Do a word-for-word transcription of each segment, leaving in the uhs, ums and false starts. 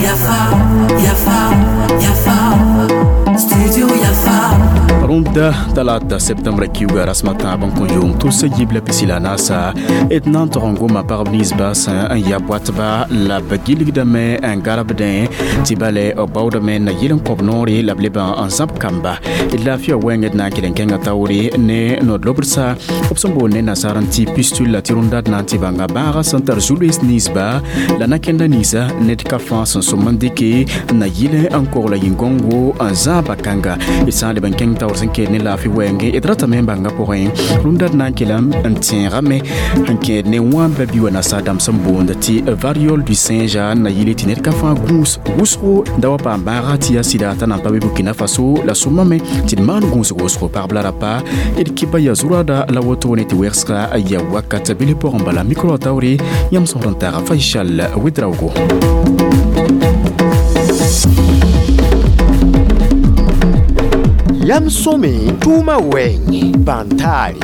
Yafa, Yafa, Yafa, Studio Yafa. Rũndã talata septembre kiuga rasmã tãab n kõ yʋʋm tʋsa yib la pisi la naasa d na n tog n goma pagb ninsba sẽn n ya boatba la b gilgdame n garbdẽ tɩ bale b baoodame na yɩl n kõb noore la b leb n zãb kamba d laafɩa wɛɛngd na n kell n kẽnga taoore ne nod-lobdsa b sẽn boond ne nasaar n tɩ pistule la tɩ rũndã d na n tɩ bãnga bãaga sẽn tar zu-loees ninsba la na-kẽnda ninsa ned ka fãa sẽn sõm n dɩke na yɩl n kogla yĩn-gõngo n zãaba kãnga d sã n leb n kẽng taoor sẽn keel ne laafɩ wɛɛngẽ d ratame n bãnga pʋgẽ rũndã d na n kelem n tẽegame n kẽed ne wãamba bi wa nasaar dãmb sẽn boond tɩ variole du singe na yɩle tɩ ned ka fãa gũus wʋsgo da wa paam bãaga tɩ yaa sɩda t'a nan pa be Burkina Faso la sõmame tɩ d maan gũusg wʋsgo pagb la rapa d kɩba yaa zurada la wotone tɩ wɛgsga ya wakat bil pʋgẽ bala micro taoore yãmb sõsd n taaga Faisal Ouedraogo. Yam sõme tʋʋmã wɛɛngẽ bãn-taare.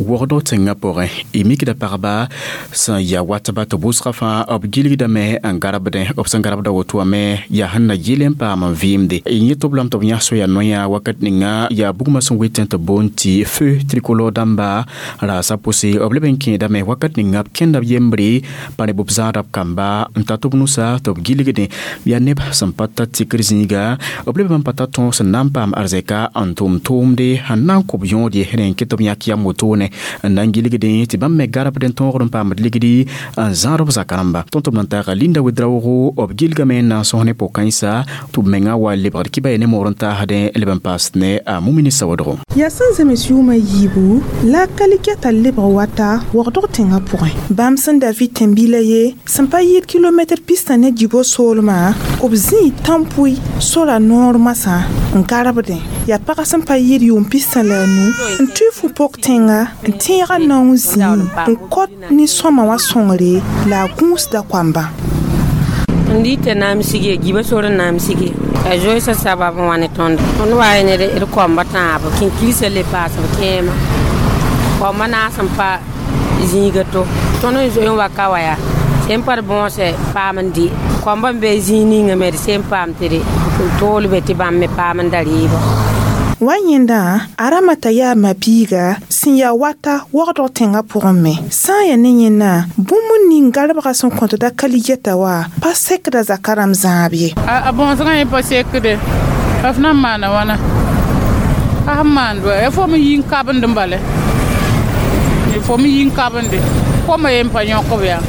Wogdg tẽngã pʋgẽ y mikda pagba sẽn ya watba tɩ bʋsgã fãa b gilgdame n garbdẽ b sẽn garbda woto wã me yaa sẽn na yɩl n paam n vɩɩmde y yẽ tɩ b lame tɩ b yãs soya noyã wakat ninga yaa bugmã sẽn wetẽ tɩ boond tɩ feu tricolore dãmba raasa pʋse b leb n kẽedame wakat ninga b kẽnda b yembre pa ne b zãada b kamba n ta tɩ b nusa tɩ b gilgdẽ yaa neb sẽn pa ta tikr zĩiga b leb n pa ta tõog sẽn na n paam arzɛka n tʋm tʋʋmde sẽn na n kõ b yõod ye rẽ n ket b yãk yam wotone n na n gilgdẽ tɩ bãmb me garbd n tõogd n paamd ligdi n zãad b zaka rãmba. Tõnd tɩ b nan taaga Linda Ouedraogo b gilgame n na n sõs ne po-kãensa tɩ b menga wa lebgd kɩba ye ne moor n taasdẽ leb n paasd ne a Mumini Sawadgo. Yaa sẽn zems yʋʋmã yiibu la a kalikɛta lebg wata wagdg tẽngã pʋgẽ. Bãmb sẽn da vɩ tẽn-bila ye sẽn pa yɩɩd kilomɛtr pistã ne djibo soolmã b zĩi tãn-pʋɩ sora noor masã n garbdẽ. Yaa pagã sẽn pa yɩɩd yʋʋm pistã la a nu n tʋɩ fu-pok tẽnga n tẽega naong zĩig n kõt nin-sõma wã sõngre la a gũusda koambã. N dɩta naam sige giba sor n naam sige a zoeesã sabab n wa ne tõnd tõnd wa ne d koamba tãab kẽnkirsa le paas b kẽema koambã naas n pa zĩiga to tõnd n zoe n wa ka wa yaa sẽn pa d bõose paam n dɩ koambã n be zĩig ninga me d sẽn paam tɩ d toolbe tɩ bãmb me paam n da rɩɩbã. Wa yẽndã a ramata yaa ma-biiga sẽn yaa wata wagdg tẽngã pʋgẽ me. Sã n yaa ne yẽnna bũmb ning garbgã sẽn kõtda kaligɛta wa pa sekda zaka rãmb zãab ye. A bõosgã yẽ pa sekde f na n maana wãna a sẽn maand wa ya fo me yi n kabend n bale fo me yi n kabende koma ye n pa yõkb yaa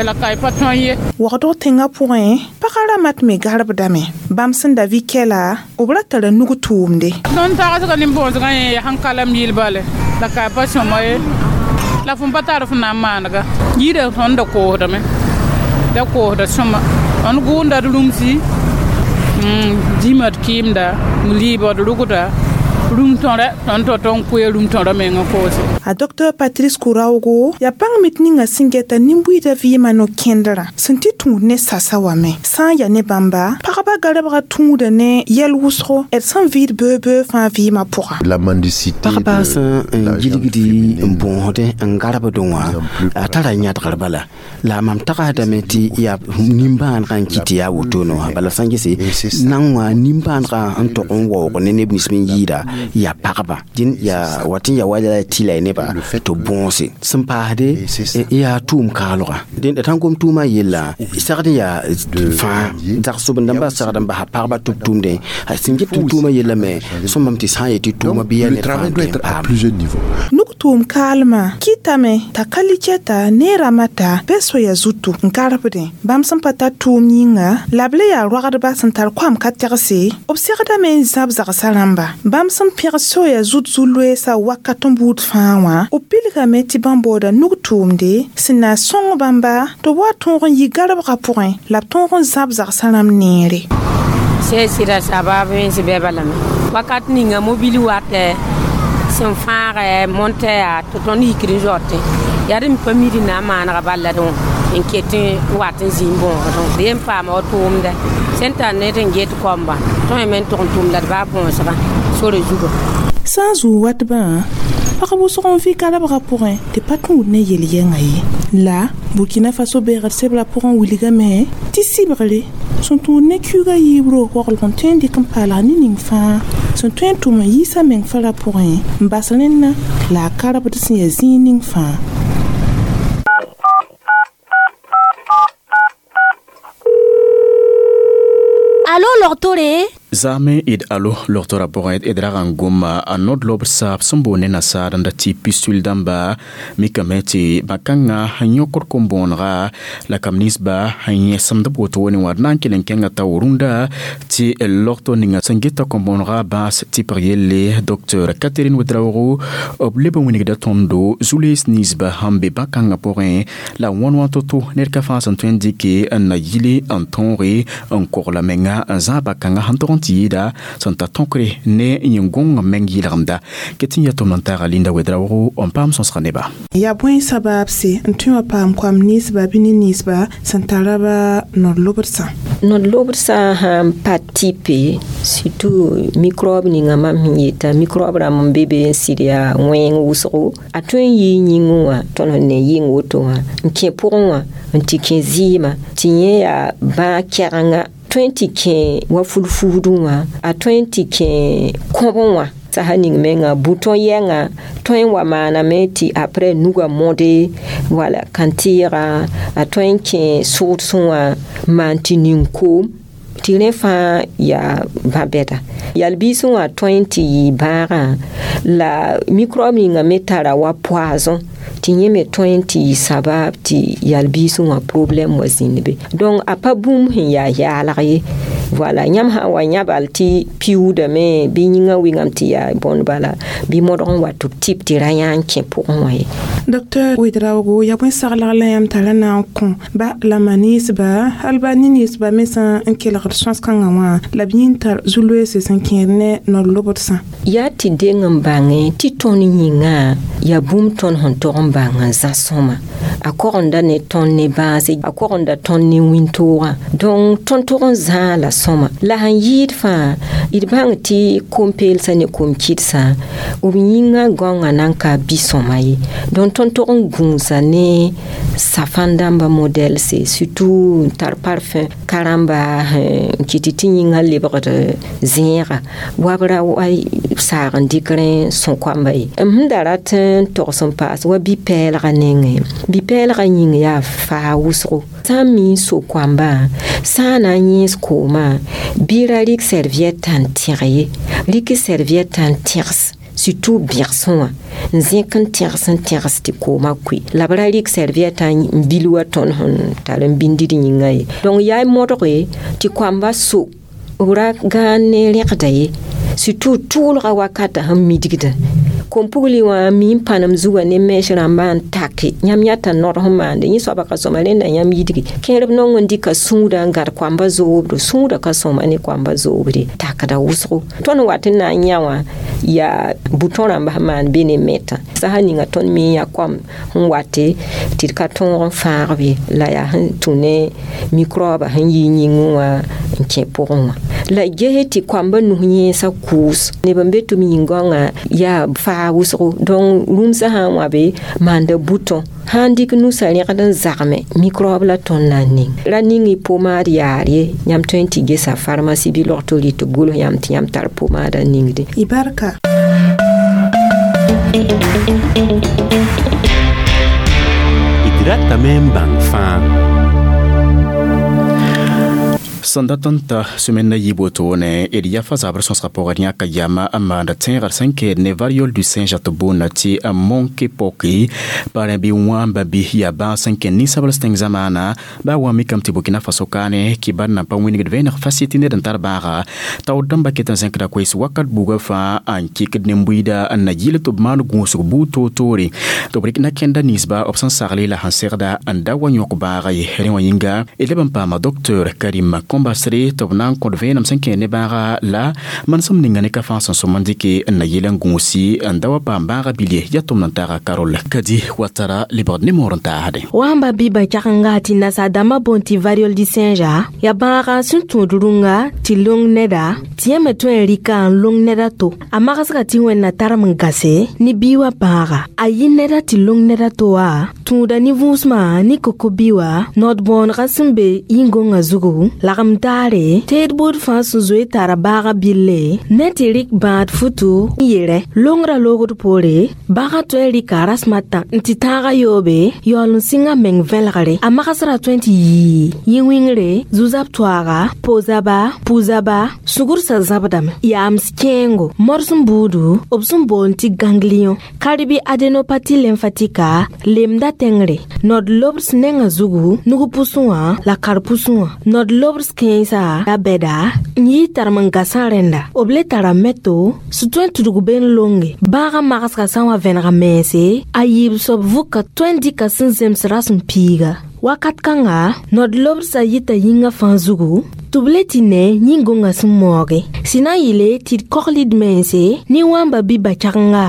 la ka y pa tõe ye. Wagdg tẽngã pʋgẽ pagã ramat me garbdame. Bãmb sẽn da vɩ kɛla b ra tara nug tʋʋmde. Tõnd tagsga nin-bõosgã yẽ yaa sẽn kalam yɩl bale la ka y pa sõma ye la fõn pa tar f na n maanega yida tõnd da koosdame da koosda sõma tõnd gʋʋnda d rũmsi dĩmã d kɩɩmda liibg d rʋgda rũm tõra tõnd tɩ tõnd koe rũm tõra meng n koose. A Docteur Patrice Kouraogo yaa bãng mit ninga sẽn gɛta nin-buiidã vɩɩmã no-kẽndrã sẽn tɩ tũud ne sasa wã me. Sã n yaa ne bãmba pagba garbgã tũuda ne yɛl wʋsgo d sẽn vɩɩd beoog-beoog fãa vɩɩmã pʋga. La mendicité pagba sẽn n gilgdi n bõosdẽ n garbdẽ wã a tara yãdgr bala la mam tagsdame tɩ yaa nimbãanegã n kɩt tɩ yaa wotone wã bala sã n gese nan wã nimbãanegã n tog n waoog ne neb nins me n yɩɩda yaa pagba dẽn yaa wat n yaa wa la tɩ la y nebã tɩ bõose sẽn paasde yaa tʋʋm kaalgã dẽn d sãn gom tʋʋmã yella sagd n yaa fãa zag-sobend-dãmbã sagd n basa pagba tɩ b tʋʋmdẽ sẽn get tɩ tʋʋmã yella me sõmame tɩ sã n yetɩ tʋʋmã bɩ yaa ned fãa n tõe n paam. Nug tʋʋm kaalmã kɩtame t'a ka likɛta ne ramata bɩ soya zutu n garbdẽ. Bãmb sẽn pa tar tʋʋm yĩnga la b le yaa rogdba sẽn tar koam ka tɛgse b segdame n zãb zagsã rãmba. Bãmb sẽn pẽg soya zut zu-loeesã wakat n buud fãa wã b pilgame tɩ bãmb baooda nug tʋʋmde sẽn na n sõng bãmba tɩ b wa tõog n yi garbgã pʋgẽ la b tõog n zãb zagsã rãmb neere. Sẽn sɩda sabab wẽns bɛ balame wakat ninga mobili watɛ sẽn fãagɛ montɛ yaa tɩ tõnd yikd n zaotẽ yaa d n pa mid n na n maanega bala dẽ n ket n wat n zĩ n bõosdẽ d yen paama wa tʋʋmdɛ sẽn tar ned n get koamba tõe me n tʋg n tʋm la d baa bõosgã sore zuga. Sã n zuu watbã Pagb wʋsg n vɩ garabgã pʋgẽ tɩ pa tũud ne yel-yɛngã ye. La Burkina Faso beegd sebra pʋgẽ wilgame tɩ sɩbgre sẽn tũud ne kiuugã yiibro waglg n tõe n dɩk n paalg ne ning fãa sẽn tõe n tʋm n yiisa meng fara pʋgẽ n bas rẽnna la a karbd sẽn yaa zĩig ning fãa. Alo logtore? Zame id alo logtora pʋgẽ d rag n goma a nod-lob saab sẽn boond ne nasaar n da tɩ pistul dãmba mikame tɩ bã-kãngã n yõkd kom-bõonega la kam ninsba n yẽsemd b wotone wã d na n kell n kẽnga tao rũndã tɩ logto ninga sẽn geta kom-bõonega bãas tɩpg yelle docteur Catherine Ouedraogo b leb n wilgda tõndo zu-lees ninsba sẽn be bã-kãngã pʋgẽ la wãn wã to-to ned ka fãa sẽn tõe n dɩke n na yili n tõoge n kogla menga n zãag bã-kãngã sẽn tog n tɩ yɩɩda sẽn ta tõkre ne yẽn-gõng meng yɩlgemda ket n yaa tʋm n taaga Linda Ouedraogo n paam sõsga neba. Yaa bõe sabaabse n tõe wã paam koam ninsba bɩ ne ninsba sẽn tara ba nod-lobdsã? Nod-lobdsã sãn pa tɩpe surtout microbe ninga mam sẽn yeta microbe rãmb n be be n sɩd yaa wẽng wʋsgo a tõe n yɩ yĩngẽ wã tõnd sẽn ne yɩng woto wã n kẽ pʋgẽ wã n tɩ kẽ zɩɩmã tɩ yẽ yaa bãag kɛgenga tõe n tɩ kẽ wa fulfuudẽ wã a tõe n tɩ kẽ kõbẽ wã saha ning menga bouton yɛnga tõe n wa maaname tɩ après nuga mõde wala kãn-tɩɩga a tõe n kẽ sʋʋdsẽ wã maan tɩ ning koom tɩ rẽ fãa yaa bã-bɛda yal-biisẽ wã tõe n tɩ yɩ bãagã la microbe ninga me tara wa poison tɩ yẽ me tõe n tɩ yɩ sabab tɩ yal-biisẽ wã problɛm wa zĩnd be donc a pa bũmb sẽn yaa yaalg ye voilà yãmb sã n wa yãbal tɩ piuudame bɩ yĩngã wɩngame tɩ yaa bõnd bala bɩ modg n wa tɩ b tɩp tɩ ra yã n kẽ pʋgẽ wã ye. Docteur Ouedraogo yaa bõe saglg la yãmb tara na n kõ ba la ma ninsba hal ba ne ninsba me sã n kelgd sõs-kãngã wã la b yĩn tar zu-loeese sẽn kẽed ne nod-lobdsã? Yaa tɩ deng n bãngẽ tɩ tõnd yĩngã yaa bũmb tõnd sẽn tog n bãng n zã sõma a kogenda ne tõnd ne bãase a kogenda tõnd ne wĩntoogã donc tõnd tog n zãa la sõma la sẽn yɩɩd fãa d bãng tɩ kom-peelsã ne kom-kɩdsã b yĩngã gãongã nan ka bi-sõma ye donc tõnd tog n gũusa ne safan dãmba modɛlse surtout n tar parfum ka-rãmba n kɩt tɩ yĩngã lebgd zẽega wa b ra wa saag n dɩk rẽ sõ-koamba ye m sẽn da rat n togs n paas wa bi-pɛɛlgã nengẽ bi-pɛɛlgã yĩng yaa faa wʋsgo sã n mi n so-koambã sã n na n yẽes koomã bɩ ra rɩk serviette n tẽg ye rɩk serviette n tẽgs surtout bẽgsẽ wã n zẽk n tẽgs n tẽgs tɩ koomã koe la b ra rɩk serviette n bil wa tõnd sẽn tar n bĩndid yĩngã ye donc yaa modge tɩ koamba so b ra gãan ne rẽgda ye surtout tʋʋlga wakata sẽn midgdã kom-pugli wã mi n pãnem zugã ne mɛɛs rãmbã n take yãmb yãta nod sẽn maande yẽ soaba ka sõma rẽnda yãmb yidgi kẽerb nong n dɩka sũudã n gãd koamba zoobdo sũudã ka sõma ne koamba zoobre takda wʋsgo tõnd wat n na n yã wã yaa bouton rãmba sẽn maan be ne mɛtã sasa ninga tõnd mi n yaa koam sẽn wate tɩ d ka tõog n fãagb ye la yaa sẽn tũ ne microbe sẽn yi yĩngẽ wã n kẽ pʋgẽ wã la gese tɩ koamba nus yẽesã kʋʋs neb n be tɩ m yĩn-gãongã yaa faa wʋsgo donc rũmsã sã n wã be maanda bouton sã n dɩk nusã rẽgd n zagme microbe la tõnd na n ning ra ning y pomade yaar ye yãmb tõe n tɩ gesa pharmacie bɩ log-to rɩ tɩ b gʋls yãmb tɩ yãmb tar pomada ningde. Y barka. D ratame n bãng fãa. Sẽn dat n ta semaine na yiib wotone d yafa zabr sõsga pʋgẽ yãka yama n maanda tẽegr sẽn keed ne variole du singe tɩ boonda tɩ monkeypox pa rẽ bɩ wãmba bɩ yaa bãas sẽn kẽ ninsabls tẽng zamaana baa wã mikame tɩ Burkina Faso kaane kɩbar nan pa wĩnigd vẽeneg fasɩ tɩ ned n tar bãaga taood dãmba ket n zẽkda koees wakat buga fãa n kɩkd nin-buiida n na yɩl tɩ b maan gũusg buud toor-toore tɩ b rɩk na kẽnda ninsba b sẽn sagle la sẽn segda n da wa yõk bãaga ye rẽ wã yĩnga d leb n paama docteur Karim basre tɩ b na n kõd vẽenem sẽn kẽ ne bãaga la manesem ninga ne ka fãa sẽn sõm n dɩke n na yɩl n gũusi n da wa paam bãaga bilie yaa tʋmd n taaga Karol Kadi Watara lebgd ne moor n taasdẽ. Wãmba bɩ kyagenga tɩ nasaar-dãmbã boond tɩ variole du singe yaa bãaga sẽn tũud rũnga tɩ long neda tɩ yã me tõe n rɩka n long neda to a magsga tɩ wẽnna tarem n gase ne bii wã bãaga a yɩ neda tɩ long neda to wã tũuda ne vũusmã ne koko-bi wã nod-bõonegã sẽn be yĩn-gõngã zugu lagem daare teed buud fãa sẽn zoe tara baaga bille ne tɩ rɩk bãad futu n yere longrã loogd poore bãagã tõe n rɩka rasem a tã n tɩ tãagã yoobe yaool n sɩng a meng vẽlgre a magsrã tõe n tɩ yii yĩ-wĩngre zu-zab toaaga po-zaba pu-zaba sugrsã zãbdame yaams kẽengo morsem buudu b sẽn boond tɩ ganglion karibi adénopathie lymphatique lemda tẽngre nod lobs nengã zugu nug pʋsẽ wã la kar pʋsẽ wã nod lobs kẽensã la bɛda n yɩ tarem n gasã rẽnda b le tara meto sẽn tõe n tudg ben longe bãagã magsgã sã n wa vẽnega mense a yiib soab vʋka tõe n dɩka sẽn zems rasem piiga wakat kãnga nod lobsã yita yĩngã fãa zugu tɩ b le tɩ ne yĩn-gõngã sẽn maooge sẽn na n yɩle tɩ d kogld mense ne wãmba bɩ ba-kyagenga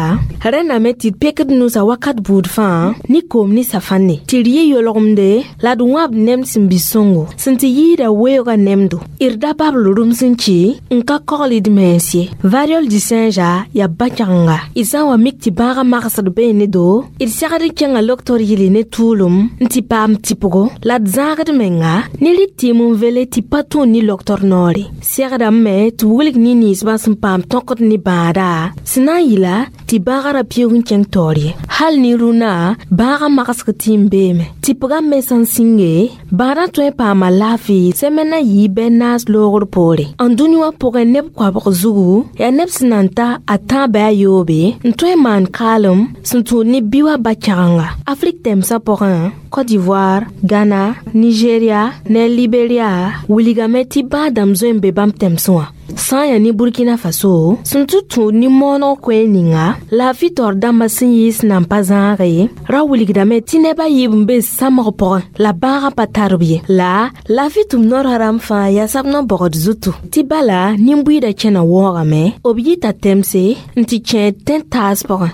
rẽndame tɩ d pekd nusã wakat buud fãa ne koom ne safãnne tɩ d yɩ yolgemde la d wãbd nemd sẽn bɩ sõngo sẽn tɩ yɩɩda weoogã nemdo d da babl rũms n kɩ n ka kogld mens ye variole du singe yaa ba-kyagenga d sã n wa mik tɩ bãagã magsd bee ne do d segd n kẽnga loktor yɩle ne tʋʋlem n tɩ paam tɩpgo la d zãagd menga ne rɩk tɩɩm n vele tɩ pa tũud ne loktor noore segdame me tɩ wilg ne ninsbã sẽn paam tõkd ne bãada sẽn na n yɩla tɩ bãagã ra pɩʋg n kẽng taoor ye hal ne rũnã bãagã magsg tɩ n beeme tɩpgã me sã n sĩnge bãadã tõe n paama laafɩ sẽmẽ na yɩ bɛ naas loogr poore n dũni wã pʋgẽ neb koabg zugu yaa neb sẽn na n ta a tãab a yoobe n tõe n maan kaalem sẽn tũud ne bi wã ba-kyagenga Afrik tɛmsã pʋgẽ Côte d'Ivoire, Ghana, Nigeria ne Liberia wilgame tɩ bãag-dãmb zoe n be bãmb tɛmsẽ wã sã n yaa ne Burkina Faso sẽn tɩ tũud ne mooneg koɛɛg ninga laafɩ taoor dãmbã sẽn yɩɩs nan pa zãage ra wilgdame tɩ neb a yiib n be samg pʋgẽ la bãagã pa tar b ye la laafɩ tʋm noorã rãmb fãa yaa sab no-bogd zutu tɩ bala nin-buiidã kẽna wɔɔgame b yita tɛmse n tɩ kẽed tẽn-taas pʋgẽ.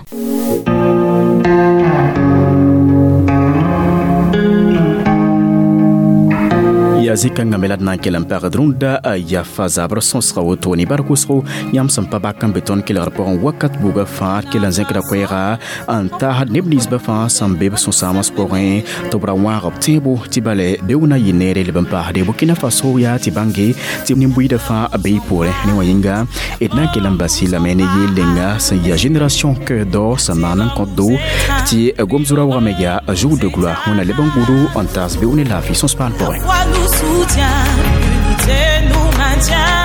Yaa zĩ-kãngã me la d na n kell n pagd rũndã yafa zabr sõsga woto ne bar kʋsgo yãmb sẽn pa bak n be tõnd kelgr pʋgẽ wakat buga fãa d kell n zẽkda koɛɛga n taasd neb ninsbã fãa sẽn be b sõsãams pʋgẽ tɩ b ra wãag b tẽebo tɩ bale beoog na yɩ neere leb n paasde Burkina Faso yaa tɩ bãnge tɩ nin-buiidã fãa be y poorẽ ne wã yĩnga d na n kell n bas lame ne yeel-lenga sẽn yaa génération cœur d'or sẽn maan n kõt do tɩ gom-zurã wagame yaa jour de gloire wẽnna leb n gũudu n taas beoog ne laafɩ sõs-paan pʋgẽ. Soutient, l'unité nous maintient.